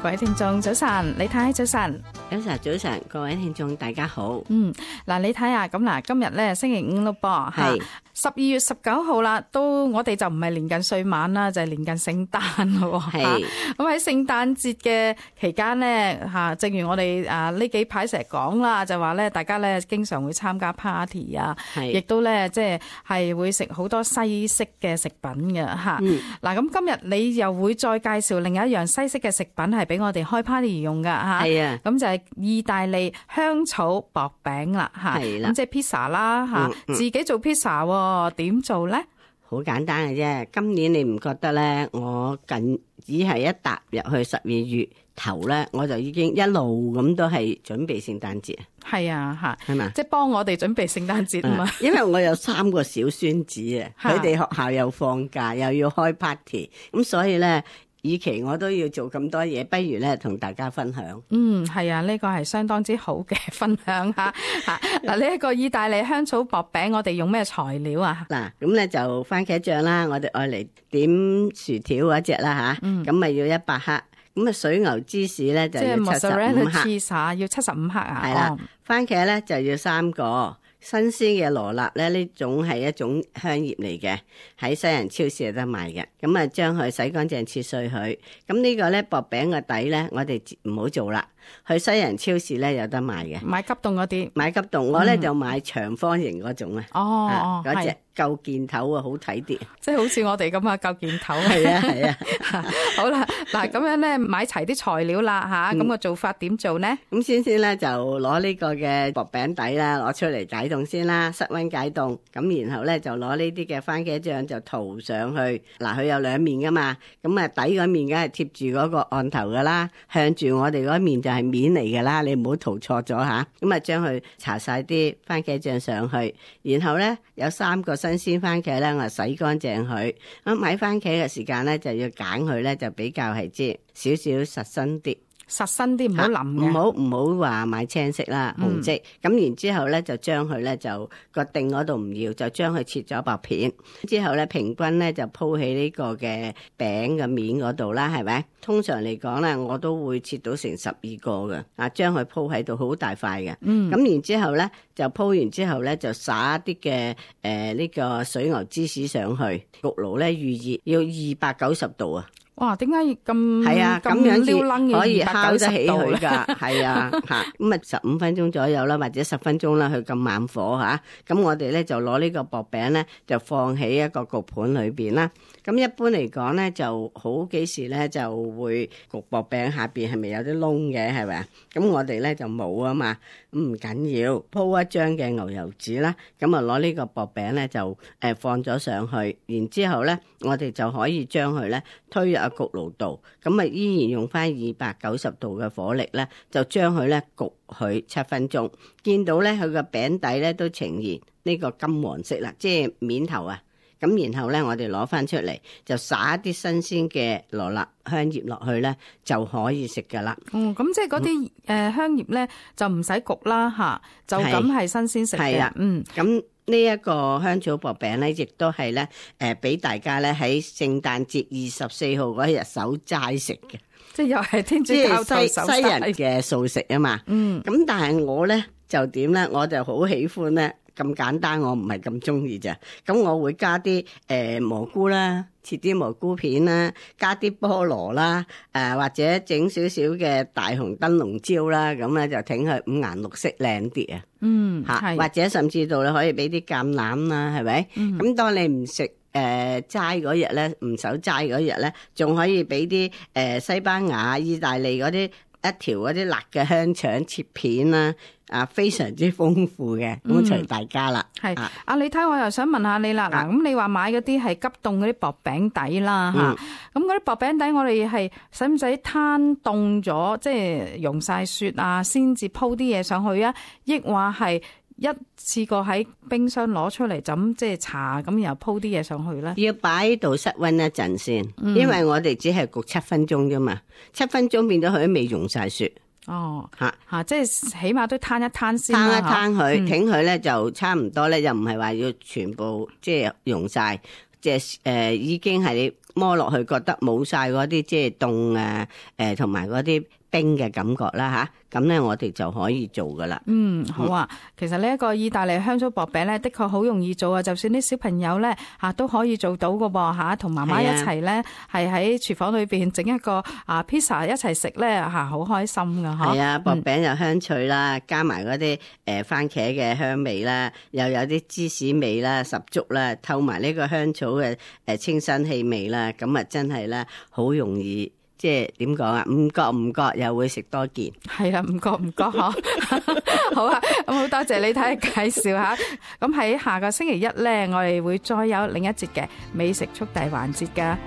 各位聽眾早晨，李太早晨。早晨，各位聽眾大家好。嗱，你睇下咁嗱，今日咧星期五咯噃，係12月19號啦，都我哋就唔係年近歲晚啦，就係年近聖誕咯。係咁喺聖誕節嘅期間咧，正如我哋呢幾排成日講啦，就話咧大家咧經常會參加 party 啊，亦都咧即係會食好多西式嘅食品嘅嚇。嗱，咁今日你又會再介紹另一樣西式嘅食品係俾我哋開 party 用㗎嚇。係啊，咁就係意大利香草薄餅啦嚇。係啦，咁即係 pizza 啦嚇，自己做 pizza 喎，點做咧？好簡單嘅啫。今年你唔覺得咧？我只係一踏入去12月頭咧，我就已經一路咁都係準備聖誕節。係啊，嚇，係嘛？即係吧幫我哋準備聖誕節啊嘛。因為我有3個小孫子啊，佢哋學校又放假，又要開 party， 咁所以咧，與其我都要做咁多嘢，不如咧同大家分享。係啊，呢個係相當之好嘅分享嚇。嗱，呢一個意大利香草薄餅，我哋用咩材料啊？嗱，咁咧就番茄醬啦，我哋愛嚟點薯條嗰隻啦嚇，咁咪要100克。咁啊，水牛芝士咧就要75克。即係 mozzarella cheese 要75克啊。係啦，番茄咧就要3個。新鮮嘅羅勒咧，呢種係一種香葉嚟嘅，喺西人超市有得賣嘅。咁啊，將佢洗乾淨切碎佢。咁呢個咧薄餅嘅底咧，我哋唔好做啦。去西人超市咧有得賣嘅，買急凍嗰啲。買急凍，我咧就買長方形嗰種啊。嗰隻夠件頭啊，好睇啲。即係好似我哋咁啊，夠件頭。係啊係啊。好啦，嗱咁樣咧買齊啲材料啦吓，咁個做法點做呢？咁先咧就攞呢個嘅薄餅底啦，攞出嚟解凍先啦，室溫解凍。咁然後咧就攞呢啲嘅番茄醬就塗上去。嗱，佢有2面噶嘛，咁啊底嗰面梗係貼住嗰個案頭噶啦，向住我哋嗰面就係面嚟噶啦，你唔好塗錯咗吓。咁啊將佢搽晒啲番茄醬上去，然後咧有3個新鮮番茄咧，我洗乾淨佢。咁買番茄嘅時間咧就要揀佢咧就比較係即少少實身啲。實身啲，唔好腍嘅，唔好話買青色啦，紅色。咁然之後咧就將佢咧就個頂嗰度唔要，就將佢切咗薄片。之後咧平均咧就鋪喺呢個嘅餅嘅面嗰度啦，係咪？通常嚟講咧，我都會切到成12個嘅，將佢鋪喺度好大塊嘅。咁然之後咧就鋪完之後咧就灑一啲嘅呢個水牛芝士上去，焗爐咧預熱要290度啊。哇！點解咁係啊？咁樣至可以烤得起佢㗎。係啊，咁啊15分鐘左右啦，或者10分鐘啦，佢咁慢火嚇。咁我哋咧就攞呢個薄餅咧，就放喺一個焗盤裏邊啦。咁一般嚟講咧，就好幾時咧就會焗薄餅下邊係咪有啲窿嘅？係咪啊？咁我哋咧就冇啊嘛，咁唔緊要，鋪一張嘅牛油紙啦。咁啊攞呢個薄餅咧就放咗上去，然之後咧我哋就可以將佢咧推入焗爐度，咁啊依然用翻290度嘅火力咧，就將佢咧焗佢7分鐘。見到咧佢個餅底咧都呈現呢個金黃色啦，即係面頭啊。咁然後咧我哋攞翻出嚟，就撒一啲新鮮嘅羅勒香葉落去咧，就可以食噶啦。咁即係嗰啲香葉咧就唔使焗啦吓，就咁係新鮮食嘅。咁呢一個香草薄餅咧，亦都係咧俾大家咧喺聖誕節24號嗰日守齋食嘅，即係又係天主教徒守齋，西人嘅素食啊嘛。咁但係我咧就點咧？我就好喜歡咧咁簡單，我唔係咁中意咋。咁我會加啲蘑菇啦，切啲蘑菇片啦，加啲菠蘿啦，或者整少少嘅大紅燈籠椒啦，咁咧就整佢五顏六色靚啲啊。或者甚至到你可以俾啲橄欖啦，係咪？咁當你唔食齋嗰日咧，唔守齋嗰日咧，仲可以俾啲西班牙、意大利嗰啲一條嗰啲辣嘅香腸切片啦。非常之豐富嘅，咁隨大家啦。係你睇我又想問下你啦。嗱，咁你話買嗰啲係急凍嗰啲薄餅底啦嚇，咁嗰啲薄餅底我哋係使唔使攤凍咗，即係溶晒雪啊，先至鋪啲嘢上去啊？抑或係一次過喺冰箱攞出嚟就咁即係搽咁，然後鋪啲嘢上去咧？要擺喺度室溫一陣先，因為我哋只係焗7分鐘啫嘛，7分鐘變咗佢都未溶晒雪。即係起碼都攤一攤先啦，攤一攤佢，挺佢咧就差唔多咧，又唔係話要全部即係溶晒，即係已經係你摸落去覺得冇晒嗰啲即係凍啊，同埋嗰啲冰嘅感覺啦吓，咁咧我哋就可以做噶啦。好啊。其實呢一個意大利香酥薄餅咧，的確好容易做啊，就算啲小朋友咧都可以做到噶噃吓，同媽媽一齊咧係喺廚房裏邊整一個pizza 一齊食咧好開心噶嗬。係啊，薄餅又香脆啦，加埋嗰啲番茄嘅香味啦，又有啲芝士味啦，十足啦，透埋呢個香草嘅清新氣味啦，咁啊真係咧好容易。即係點講啊？唔覺又會食多件。係啦，唔覺嗬。好啊，咁好多謝你睇介紹吓。咁喺下個星期一咧，我哋會再有另一節嘅美食速遞環節噶。